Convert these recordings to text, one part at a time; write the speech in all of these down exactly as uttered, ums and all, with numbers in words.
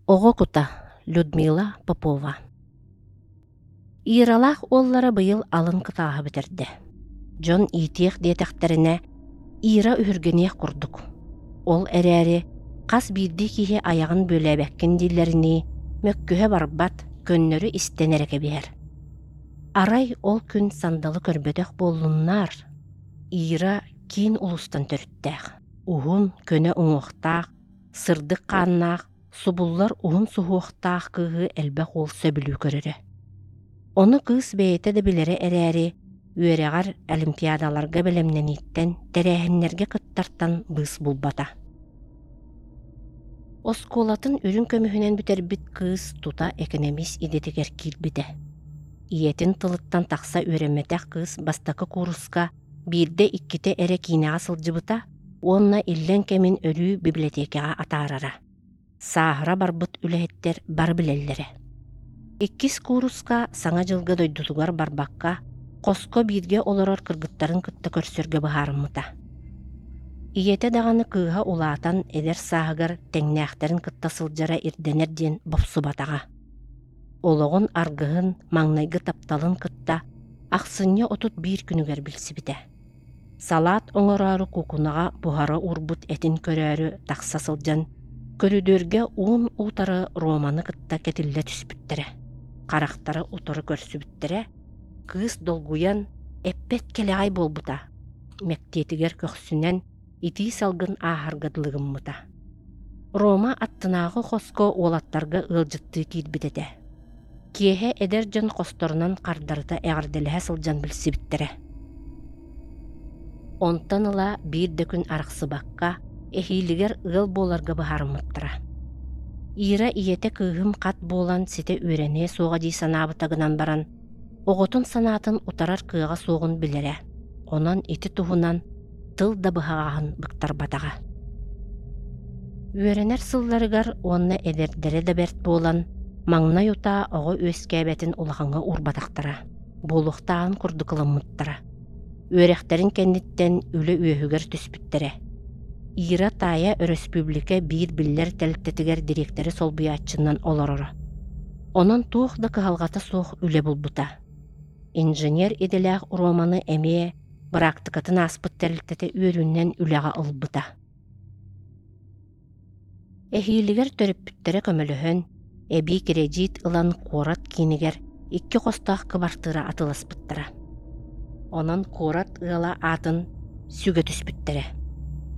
Оҕо кута Людмила Попова. Иралаах уоллара быйыл алын кытааһы бүтэрдэ. Дьон иитиэх диэтэхтэринэ, Ира үһүргэниэх курдук. Ол эрээри хас биирдии киһи айаҕын бүөлээбэккин дииллэринии, мөккүһэ барбат, көннөрү истэн эрэ кэбиһэр. Арай ол күн сандалы көрбөтөх буоллуннар? Ира киин улуустан төрүттээх, уһун, көнө уҥуохтаах, сырдык хааннаах, субуллар уһун суһуохтаах кыыһы элбэх уол сөбүлүү көрөрө. Ону кыыс бэйэтэ да билэрэ эрээри, үөрэҕэр олимпиадаларга бэлэмнэнииттэн, тэрээһиннэргэ кыттартан быыс булбата. Оскуолатын үрүҥ көмүһүнэн бүтэрбит кыыс тута экономист идэтигэр киирбитэ. Ийэтин тылыттан тахса үөрэммэтэх кыыс бастакы кууруска биирдэ-иккитэ эрэ киинэҕэ сылдьыбыта уонна иллэҥ кэмин өрүү библиотекаҕа атаарара. Сааһыра барбыт үлэһиттэр бары билэллэрэ. Иккис кууруска Саҥа дьылга дойдутугар барбакка, хоско бииргэ олорор кыргыттарын кытта көрсөргө быһаарыммыта. Ийэтэ даҕаны кыыһа улаатан эдэр сааһыгар тэҥнээхтэрин кытта сылдьара ирдэнэр диэн бопсубатаҕа. Олоҕун аргыһын маҥнайгы тапталын кытта ахсынньы отут биир күнүгэр билсибитэ. Салаат оҥороору куукунаҕа буһара уурбут этин көрөөрү тахса сылдьан, көрүдүөргэ уун утары Романы кытта кэтиллэ түспүттэрэ. Харахтара утары көрсүбүттэрэ, кыыс долгуйан, эппэт кэлэҕэй буолбута. Мэктиэтигэр көхсүнэн итии салгын ааһарга дылы гыммыта. Рома аттынааҕы хоско уолаттарга ыалдьыттыы киирбит этэ. Киэһэ эдэр дьон хосторунан хардарыта эҕэрдэлэһэ сылдьан билсибиттэрэ. Онтон ыла биир да күн арахсыбакка, эһиилигэр ыал буоларга быһаарыммыттара. Ира ийэтэ кыыһым хат буолан ситэ үөрэниэ суоҕа дии санаабыта гынан баран, оҕотун санаатын утарар кыаҕа суоҕун билэрэ. Онон ити туһунан тыл да быһаҕаһын быктарбатаҕа. Үөрэнэр сылларыгар уонна эдэрдэрэ да бэрт буолан, маҥнай утаа оҕо үөскээбэтин улахаҥҥа уурбатахтара, буолуохтааҕын курдук ылыммыттара. Үөрэхтэрин кэнниттэн үлэ үөһүгэр түспүттэрэ. Ира таайа өрөспүүбүлүкэ биир биллэр тэрилтэтигэр дириэктэри солбуйааччынан олороро. Онон туох да кыһалҕата суох үлэ булбута. Инженер идэлээх Романы эмиэ быраактыкатын ааспыт тэрилтэтэ үөрүүнэн үлэҕэ ылбыта. Эһиилигэр төрөппүттэрэ көмөлөһөн, эбии кирэдьиит ылан куорат киинигэр икки хостоох кыбартыыра атыыласпыттара. Онон куорат ыала аатын сүгэ түспүттэрэ.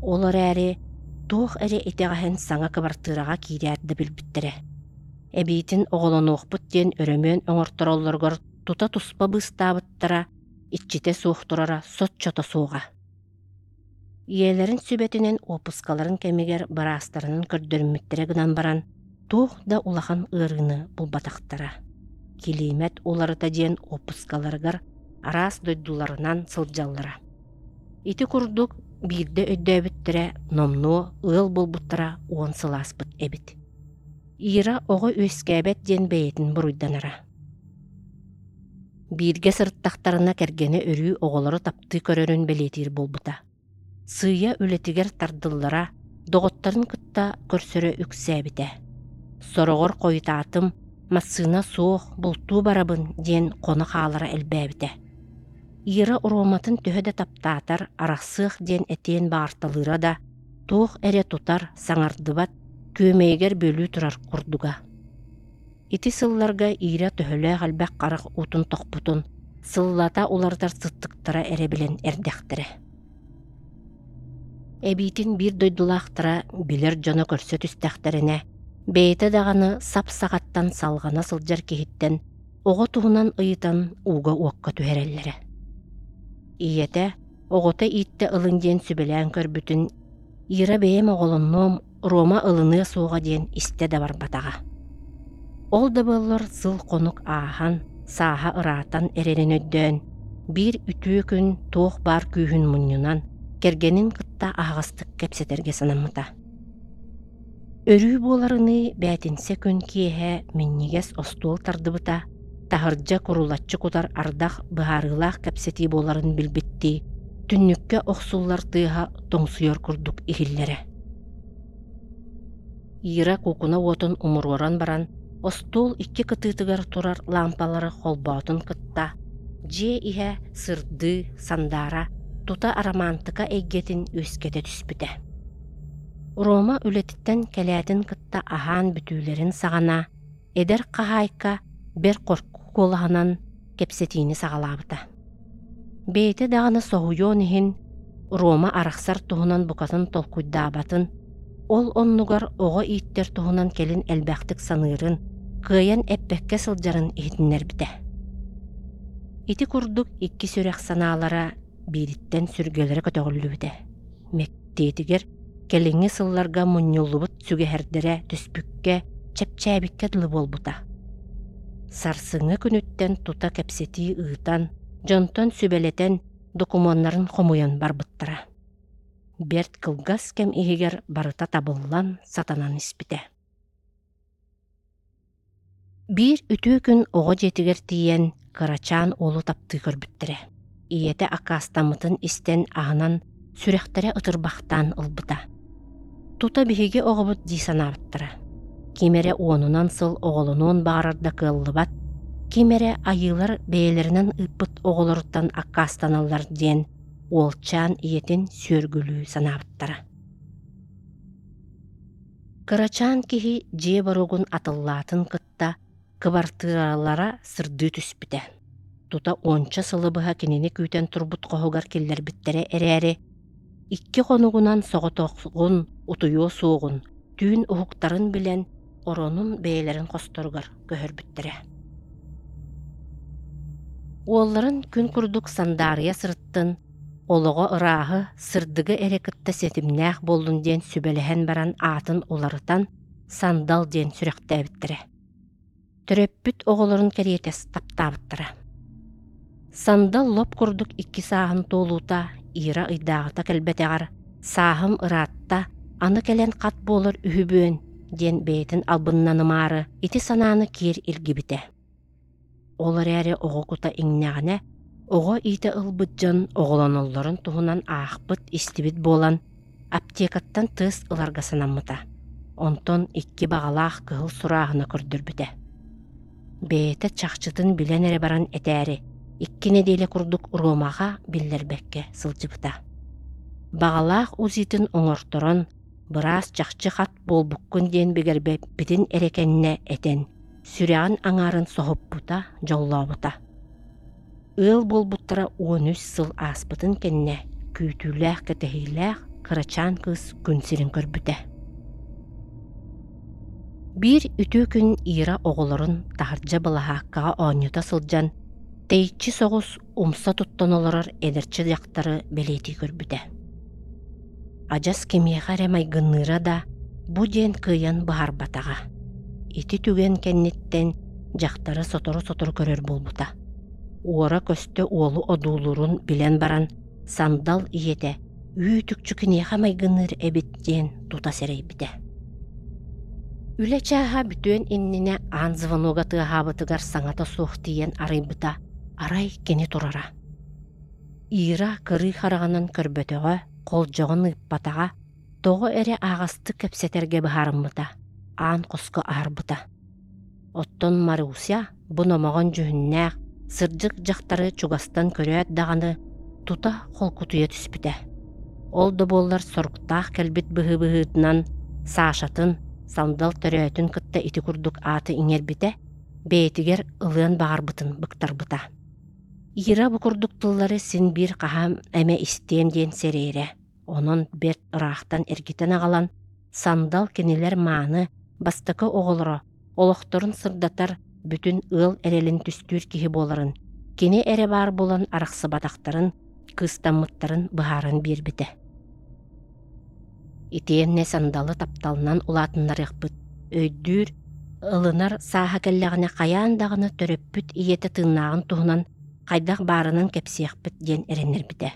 Ол эрээри туох эрэ итэҕэһин саҥа кыбартыыраҕа киирээт да билбиттэрэ. Эбиитин оҕолонуохпут диэн өрөмүөн оҥортороллоругар тута туспа быыстаабыттара, иччитэ суох турара соччото суоҕа. Ийэлэрин сүбэтинэн уоппускаларын кэмигэр быраастарынан көрдөрүммүттэрэ гынан баран, туох да улахан ыарыыны булбатахтара. Килиимэт уларыта диэн уоппускаларыгар араас дойдуларынан сылдьаллара. Ити курдук биирдэ өйдөөбүттэрэ номнуо ыал буолбуттара уон сыл ааспыт эбит. Ира оҕо үөскээбэт диэн бэйэтин буруйданара. Бииргэ сырыттахтарына кэргэнэ өрүү оҕолору таптыы көрөрүн бэлиэтиир буолбута. Сыыйа үлэтигэр тардыллара, доҕотторун кытта көрсөрө үксээбитэ. Сороҕор хойутаатым, массыына суох, бултуу барабын диэн хоно хаалара элбээбитэ. Ира Роматын төһө да таптаатар, арахсыах диэн этиэн баҕарталыыра да, туох эрэ тутар, саҥардыбат, күөмэйигэр бүөлүү турар курдуга. Ити сылларга Ира төһөлөөх элбэх харах уутун тохпутун, сыллата уларытар сыттыктара эрэ билэн эрдэхтэрэ. Эбиитин биир дойдулаахтара билэр дьоно көрсө түстэхтэринэ, бэйэтэ даҕаны сап-саҕаттан салҕана сылдьар киһиттэн оҕо туһунан ыйытан ууга-уокка түһэрэллэрэ. Ийэтэ оҕото ииттэ ылын диэн сүбэлээн көрбүтүн Ира бэйэм оҕолоннуом, Рома ылыныа суоҕа диэн истэ да барбатаҕа. Ол да буоллар сыл-хонук ааһан, сааһа ыраатан эрэрин өйдөөн, биир үтүө күн туох баар күүһүн мунньунан, кэргэнин кытта аһаҕастык кэпсэтэргэ санаммыта. Өрүү буоларыныы бээтинсэ күн киэһэ минньигэс остуол тардыбыта, таһырдьа курулаччы кутар ардах быһаарыылаах кэпсэтии буоларын билбиттии, түннүккэ охсуллар тыаһа тоҥсуйар курдук иһиллэрэ. Ира куукуна уотун умуруоран баран, остуол икки кытыытыгар турар лаампалары холбоотун кытта, дьиэ иһэ сырдыы, сандаара, тута арамаантыка эйгэтин үөскэтэ түспүтэ. Рома үлэтиттэн кэлээтин кытта аһаан бүтүүлэрин саҕана, эдэр хаһаайка бэрт хорку куолаһынан кэпсэтиини саҕалаабыта. Бэйэтэ даҕаны соһуйуон иһин, Рома арахсар туһунан букатын толкуйдаабатын, ол оннугар оҕо ииттэр туһунан кэлин элбэхтик саныырын, кыайан эппэккэ сылдьарын иһитиннэрбитэ. Ити курдук икки сүрэх санаалара биириттэн сүргэлэрэ көтөҕүллүбүтэ. Мэктиэтигэр кэлиҥҥи сылларга мунньуллубут сүгэһэрдэрэ түспүккэ, чэпчээбиккэ дылы буолбута. Сарсыҥҥы күнүттэн тута кэпсэтии ыытан, дьонтон сүбэлэтэн, докумуоннарын хомуйан барбыттара. Бэрт кылгас кэм иһигэр барыта табыллан, сатанан испитэ. Биир үтүө күн оҕо дьиэтигэр тиийэн, кырачаан уолу таптыы көрбүттэрэ. Ийэтэ аккаастаммытын истэн аһынан, сүрэхтэрэ ытырбахтаан ылбыта. Тута биһиги оҕобут дии санаабыттара. Ким эрэ уонунан сыл оҕолонуон баҕарар да кыаллыбат, ким эрэ айыылар бэйэлэринэн ыыппыт оҕолоруттан аккаастаналлар диэн уолчаан ийэтин сүөргүлүү санаабыттара. Кырачаан киһи дьиэ боруогун атыллаатын кытта кыбартыыралара сырдыы түспүтэ. Тута уонча сылы быһа кинини күүтэн турбут хоһугар киллэрбиттэрэ эрээри, икки хонугунан соҕотоҕун утуйуо суоҕун, түүн уһуктарын билэн, оронун бэйэлэрин хосторугар көһөрбүттэрэ. Уолларын күн курдук сандаарыйа сырыттын, олоҕо ырааһы, сырдыгы эрэ кытта ситимнээх буоллун диэн сүбэлэһэн баран аатын уларытан Сандал диэн сүрэхтээбиттэрэ. Төрөппүт оҕолорун кэриэтэ таптаабыттара. Сандал лоп курдук икки сааһын туолуута Ира ыйдааҕыта кэлбэтэҕэр «Сааһым ыраатта, аны кэлэн хат буолар үһүбүөн» диэн бэйэтин албыннанымаары ити санааны киэр илгибитэ. Ол эрээри оҕо кута иҥнэҕинэ, оҕо иитэ ылбыт дьон оҕолоноллорун туһунан аахпыт, истибит буолан, аптекаттан тыас ыларга санаммыта. Онтон икки баҕалаах кыһыл сурааһына көрдөрбүтэ. Бэйэтэ чахчытын билэн эрэ баран этээри, икки нэдиэлэ курдук Ромаҕа биллэрбэккэ сылдьыбыта. Баҕалаах УЗИтын оҥорторон, быраас чахчы хат буолбуккун диэн бигэрбэппитин эрэ кэннэ этэн, сүрэҕин аҥаарын соһуппута, дьоллообута. Ыал буолбуттара уон үс сыл ааспытын кэннэ күүтүүлээх-кэтэһиилээх кырачаан кыыс күн сирин көрбүтэ. Биир үтүө күн Ира оҕолорун таһырдьа былаһааккаҕа оонньото сылдьан, тэйиччи соҕус умса туттан олорор эдэрчи дьахтары бэлиэтии көрбүтэ. Адьас кимиэхэ эрэ майгынныыра да, бу диэн кыайан быһаарбатаҕа. Ити түгэн кэнниттэн дьахтары сотору-сотору көрөр буолбута. Уора-көстө уолу одуулуурун билэн баран, Сандал ийэтэ үүт-үкчү киниэхэ майгынныыр эбит диэн тута сэрэйбитэ. Үлэ чааһа бүтүөн иннинэ аан звонога тыаһаабытыгар саҥата суох тиийэн арыйбыта, арай кини турара. Ира кырыы хараҕынан көрбөтөҕө, холдьоҕун ыыппатаҕа, тоҕо эрэ аһаҕастык кэпсэтэргэ быһаарыммыта, аан хоско аһарбыта. Оттон Маруся бу номоҕон дьүһүннээх, сырдык дьахтары чугастан көрөөт даҕаны тута холкутуйа түспүтэ. Ол да буоллар соруктаах кэлбит быһыы быһыытынан Сашатын, Сандал төрөөтүн кытта ити курдук ааты иҥэрбитэ, бэйэтигэр ылыан баҕарбытын быктарбыта. Ира бу курдук тыллары син биир хаһан эмэ истиэм диэн сэрэйэрэ. Онон бэрт ыраахтан эргитэн аҕалан, Сандал кинилэр мааны, бастакы оҕолоро, олохторун сырдатар, бүтүн ыал эрэлин түстүүр киһи буоларын, кини эрэ баар буолан арахсыбатахтарын, кыыстаммыттарын быһааран биэрбитэ. Итиэннэ Сандалы тапталынан улаатыннарыахпыт, өйдүүр, ылынар сааһа кэллэҕинэ хайаан даҕаны төрөппүт ийэтэ тыыннааҕын туһунан хайдах баарынан кэпсиэхпит диэн эрэннэрбитэ.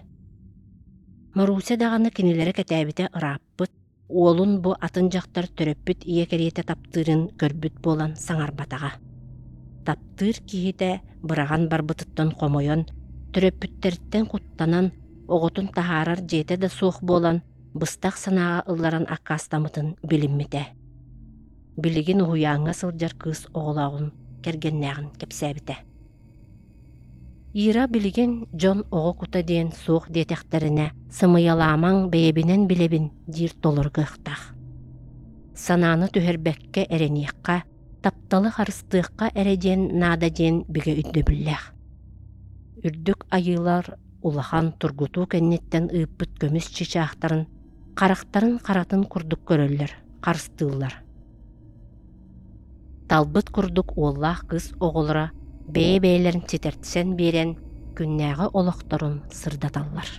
Маруся даҕаны кинилэри кэтээбитэ ырааппыт, уолун бу атын дьахтар төрөппүт ийэ кэриэтэ таптыырын көрбүт буолан саҥарбатаҕа. Таптыыр киһитэ быраҕан барбытыттан хомойон, төрөппүттэриттэн куттанан, оҕотун таһаарар дьиэтэ да суох буолан, быстах санааҕа ылларан аккаастаммытын билиммитэ. Билигин уһуйааҥҥа сылдьар кыыс оҕолооҕун, кэргэннээҕин кэпсээбитэ. Ира билигин дьон оҕо кута диэн суох диэтэхтэринэ, сымыйалаамаҥ бэйэбинэн билэбин диир толору кыахтаах. Санааны түһэрбэккэ эрэниэххэ, тапталы харыстыахха эрэ диэн наада диэн бигэ өйдөбүллээх. Үрдүк айыылар улахан тургутуу кэнниттэн ыыппыт көмүс чыычаахтарын харахтарын харатын курдук көрөллөр, харыстыыллар. Талбыт курдук уоллаах кыыс оҕолоро бэйэ-бэйэлэрин ситэрсэн биэрэн күннээҕи олохторун сырдаталлар.